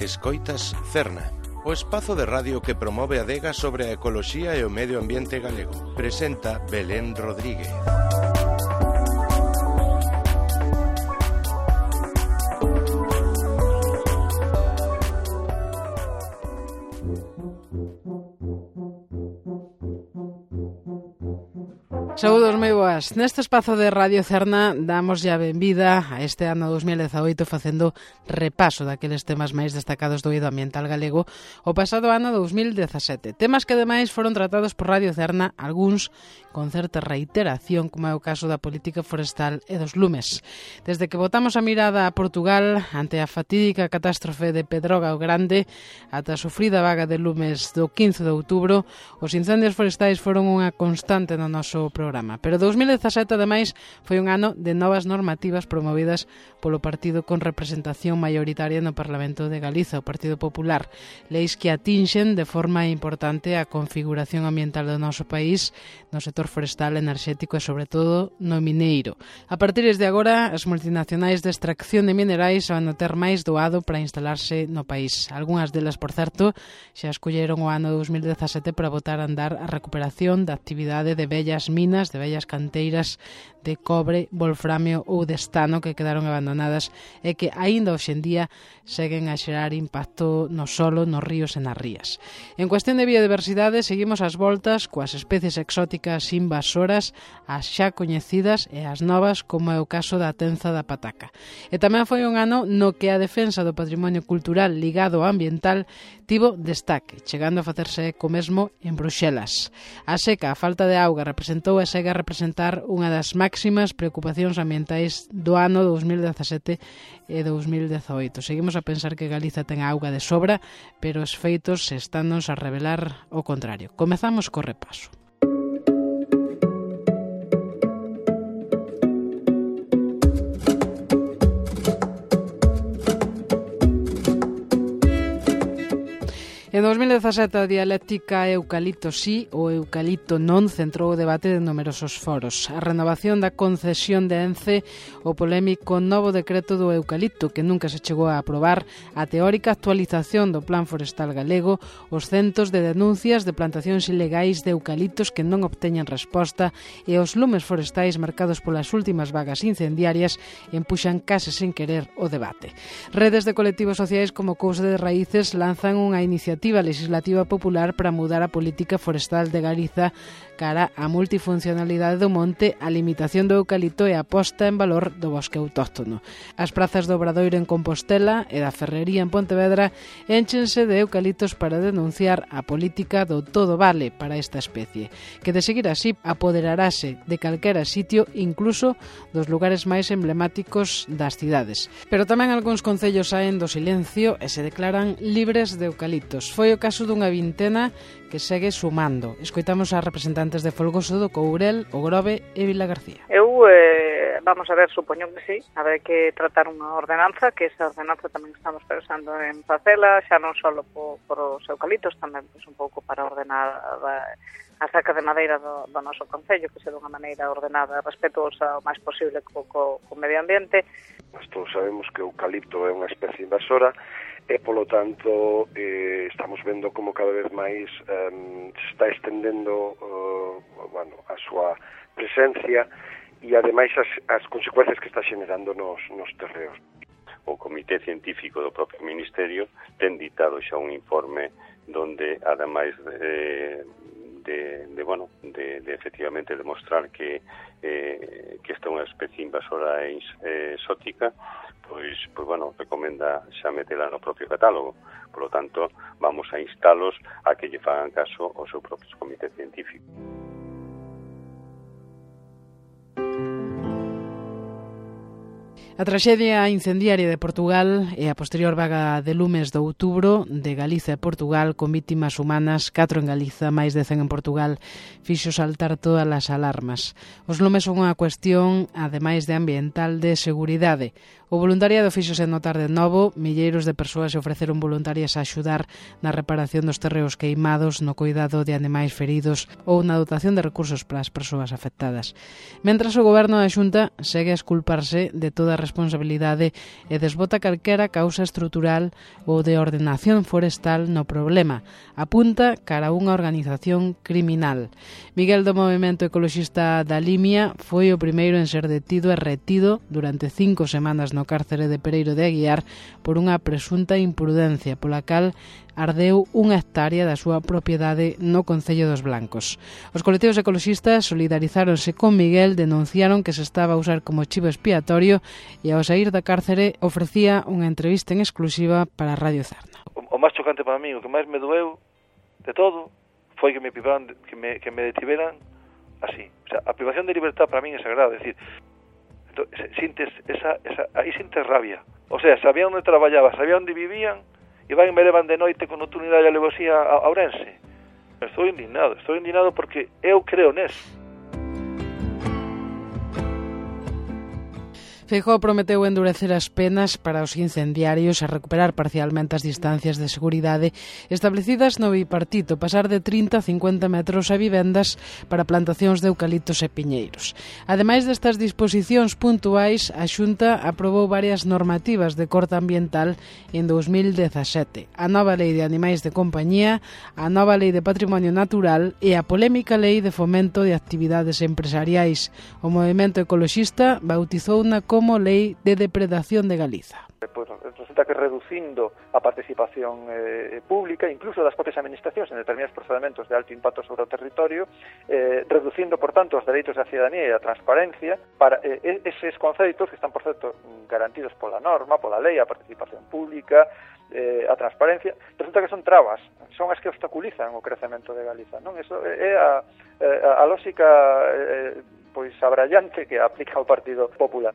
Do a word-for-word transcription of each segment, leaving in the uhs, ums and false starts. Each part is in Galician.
Escoitas Cerna, o espazo de radio que promove a adega sobre a ecoloxía e o medio ambiente galego. Presenta Belén Rodríguez. Saúdos moi boas. Neste espazo de Radio Cerna damos ya benvida a este ano dos mil dezaoito facendo repaso daqueles temas máis destacados do eido ambiental galego o pasado ano dos mil dezasete. Temas que ademais foron tratados por Radio Cerna, algúns con certa reiteración, como é o caso da política forestal e dos lumes. Desde que botamos a mirada a Portugal ante a fatídica catástrofe de Pedroga o Grande ata a sufrida vaga de lumes do quince de outubro, os incendios forestais foron unha constante no noso programa. Pero dos mil dezasete, ademais, foi un ano de novas normativas promovidas polo partido con representación maioritaria no Parlamento de Galiza, o Partido Popular. Leis que atinxen de forma importante a configuración ambiental do noso país no sector forestal, enerxético e, sobre todo, no mineiro. A partir de agora, as multinacionais de extracción de minerais van a ter máis doado para instalarse no país. Algúnas delas, por certo, xa escolleron o ano dos mil dezasete para botar a andar a recuperación da actividade de vellas minas, de vellas canteiras de cobre, wolframio ou de estano que quedaron abandonadas e que aínda hoxe en día seguen a xerar impacto no solo, nos ríos e nas rías. En cuestión de biodiversidade, seguimos as voltas coas especies exóticas invasoras, as xa coñecidas e as novas, como é o caso da tenza da pataca. E tamén foi un ano no que a defensa do patrimonio cultural ligado ao ambiental tivo destaque, chegando a facerse eco mesmo en Bruxelas. A seca, a falta de auga, representou e segue a representar unha das máximas preocupacións ambientais do ano dos mil dezasete e dos mil dezaoito. Seguimos a pensar que Galiza ten auga de sobra, pero os feitos estános a revelar o contrario. Comezamos co repaso. En dos mil dezasete, a dialéctica eucalipto sí ou eucalipto non centrou o debate de numerosos foros. A renovación da concesión de Ence, o polémico novo decreto do eucalipto que nunca se chegou a aprobar, a teórica actualización do Plan Forestal Galego, os centos de denuncias de plantacións ilegais de eucaliptos que non obteñen resposta e os lumes forestais marcados polas últimas vagas incendiarias empuxan case sen querer o debate. Redes de colectivos sociais como Cousa de Raíces lanzan unha iniciativa legislativa popular para mudar a política forestal de Galiza cara á multifuncionalidade do monte, a limitación do eucalipto e a posta en valor do bosque autóctono. As prazas do Obradoiro en Compostela e da Ferrería en Pontevedra énchense de eucaliptos para denunciar a política do todo vale para esta especie, que de seguir así apoderarase de calquera sitio, incluso dos lugares máis emblemáticos das cidades. Pero tamén algúns concellos saen do silencio e se declaran libres de eucaliptos. Foi o caso dunha vintena que segue sumando. Escoitamos a representantes de Folgoso do Courel, O Grove e Vilagarcía. Eu, eh, vamos a ver, supoño que sí, habrá que tratar unha ordenanza, que esa ordenanza tamén estamos pensando en facela, xa non só por, por os eucaliptos, tamén pues, un pouco para ordenar a, a saca de madeira do, do noso concello, que se de unha maneira ordenada, respetuosa o máis posible co, co, co medio ambiente. Nós todos sabemos que o eucalipto é unha especie invasora, e polo tanto eh, estamos vendo como cada vez máis um, se está estendendo uh, bueno, a súa presencia e ademais as, as consecuencias que está generando nos, nos terreos. O Comité Científico do propio Ministerio ten ditado xa un informe donde ademais de, de, de bueno, de, de efectivamente demostrar que eh, que esta é unha especie invasora e eh, exótica, pois, pois, bueno, recomenda xa metela no propio catálogo. Por lo tanto, vamos a instalos a que lle fagan caso ao seu propio comité científico. A traxedia incendiaria de Portugal e a posterior vaga de lumes de outubro de Galiza e Portugal con vítimas humanas, catro en Galiza, máis de cen en Portugal, fixo saltar todas as alarmas. Os lumes son unha cuestión, ademais de ambiental, de seguridade. O voluntariado fíxose notar de novo, milleiros de persoas se ofreceron voluntarias a axudar na reparación dos terreos queimados, no cuidado de animais feridos ou na dotación de recursos para as persoas afectadas. Mentras o goberno da Xunta segue a esculparse de toda a responsabilidade e desbota calquera causa estrutural ou de ordenación forestal no problema, apunta cara a unha organización criminal. Miguel do Movemento Ecoloxista da Limia foi o primeiro en ser detido e retido durante cinco semanas no cárcere de Pereiro de Aguiar por unha presunta imprudencia pola cal ardeu unha hectárea da súa propiedade no Concello dos Blancos. Os colectivos ecoloxistas solidarizáronse con Miguel, denunciaron que se estaba a usar como chivo expiatorio e ao saír da cárcere ofrecía unha entrevista en exclusiva para Radio Cerna. O, o máis chocante para mí, o que máis me doeu de todo, foi que me privaran, que me, que me detiveran así. O sea, a privación de libertad para mí é sagrada, é dicir, sintes esa, esa, aí sintes rabia. O sea, sabían onde traballaba, sabían onde vivían, e van e me levan de noite con nocturnidade e alevosía a Ourense. Estou indignado, estou indignado porque eu creo neso. Feijóo prometeu endurecer as penas para os incendiarios e recuperar parcialmente as distancias de seguridade establecidas no bipartito, pasar de trinta a cincuenta metros a vivendas para plantacións de eucaliptos e piñeiros. Ademais destas disposicións puntuais, a Xunta aprobou varias normativas de corte ambiental en dous mil dezasete. A nova Lei de Animais de Compañía, a nova Lei de Patrimonio Natural e a polémica Lei de Fomento de Actividades Empresariais. O movemento ecoloxista bautizouna como Lei de Depredación de Galiza. Pues resulta que reducindo a participación eh, pública, incluso das propias administracións en determinados procedementos de alto impacto sobre o territorio, eh, reducindo, por tanto, os dereitos da ciudadanía e a transparencia para eh, eses conceitos que están, por certo, garantidos pola norma, pola lei, a participación pública, eh, a transparencia, resulta que son trabas, son as que obstaculizan o crecemento de Galiza, non? Eso é a, a, a lógica eh, pois abrallante que aplica o Partido Popular.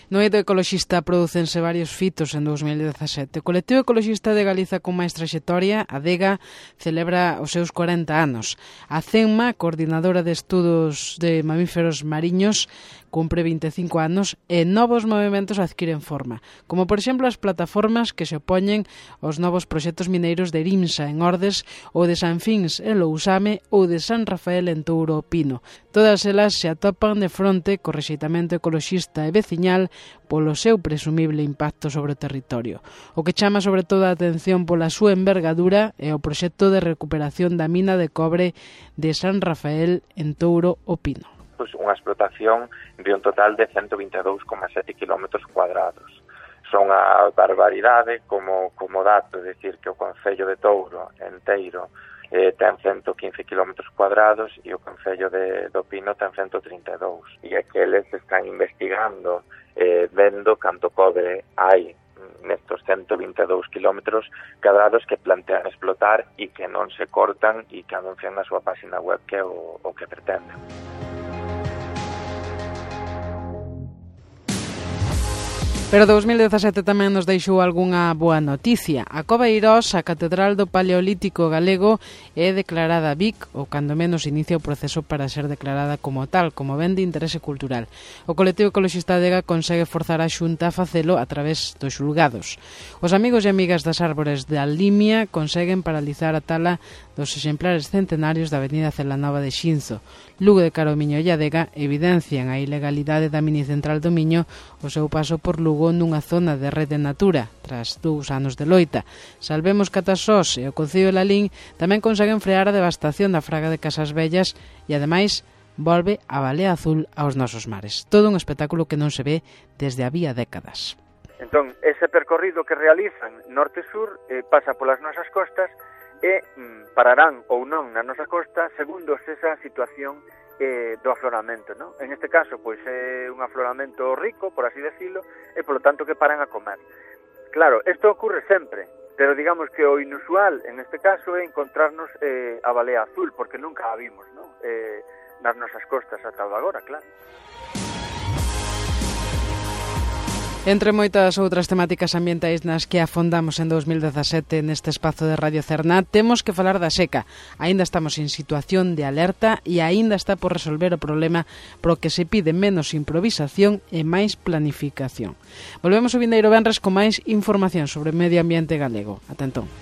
No eido ecoloxista producense varios fitos en dous mil dezasete. O colectivo ecoloxista de Galiza con máis traxectoria, a DEGA, celebra os seus corenta anos. A CENMA, coordinadora de estudos de mamíferos mariños, cumpre vinte e cinco anos e novos movimentos adquiren forma, como por exemplo as plataformas que se opoñen aos novos proxectos mineiros de Erimsa en Ordes ou de San Fins en Lousame ou de San Rafael en Touro Pino. Todas elas se atopan de fronte co rexeitamento ecoloxista e veciñal polo seu presumible impacto sobre o territorio. O que chama sobre todo a atención pola súa envergadura é o proxecto de recuperación da mina de cobre de San Rafael en Touro o Pino. Pois unha explotación de un total de ciento vinte e dous coma sete kilómetros cuadrados. Son a barbaridade como, como dato, é dicir que o Concello de Touro enteiro eh, ten ciento quince kilómetros cuadrados e o Concello de, do Pino ten ciento trinta e dous. E aqueles están investigando, eh, vendo canto cobre hai nestos ciento vinte e dous kilómetros cadrados que plantean explotar e que non se cortan e que anuncian na súa página web que é o, o que pretenden. Pero dous mil dezasete tamén nos deixou algunha boa noticia. A Cova Eirós, a Catedral do Paleolítico Galego, é declarada B I C, ou cando menos inicia o proceso para ser declarada como tal, como ben de interese cultural. O colectivo ecoloxista DEGA consegue forzar a Xunta a facelo a través dos xulgados. Os amigos e amigas das árbores da Limia conseguen paralizar a tala dos exemplares centenarios da Avenida Celanova de Xinzo. Lugo de Caromiño e a DEGA evidencian a ilegalidade da minicentral do Miño o seu paso por Lugo nunha zona de rede natura, tras dous anos de loita. Salvemos Catasós e o Concello de Lalín tamén conseguen frear a devastación da fraga de Casas Vellas e, ademais, volve a Balea Azul aos nosos mares. Todo un espectáculo que non se ve desde había décadas. Entón, ese percorrido que realizan norte-sur eh, pasa polas nosas costas e mm, pararán ou non na nosa costa segundo esa situación eh, do afloramento, non? En este caso, pois é un afloramento rico, por así decirlo, e polo tanto que paran a comer. Claro, isto ocurre sempre, pero digamos que o inusual en este caso é encontrarnos eh, a balea azul, porque nunca a vimos, non? Eh, nas nosas costas ata agora, claro. Entre moitas outras temáticas ambientais nas que afondamos en dos mil dezasete neste espazo de Radio Cerna, temos que falar da seca. Aínda estamos en situación de alerta e aínda está por resolver o problema pro que se pide menos improvisación e máis planificación. Volvemos o vindeiro venres con máis información sobre o medio ambiente galego. Ata entón.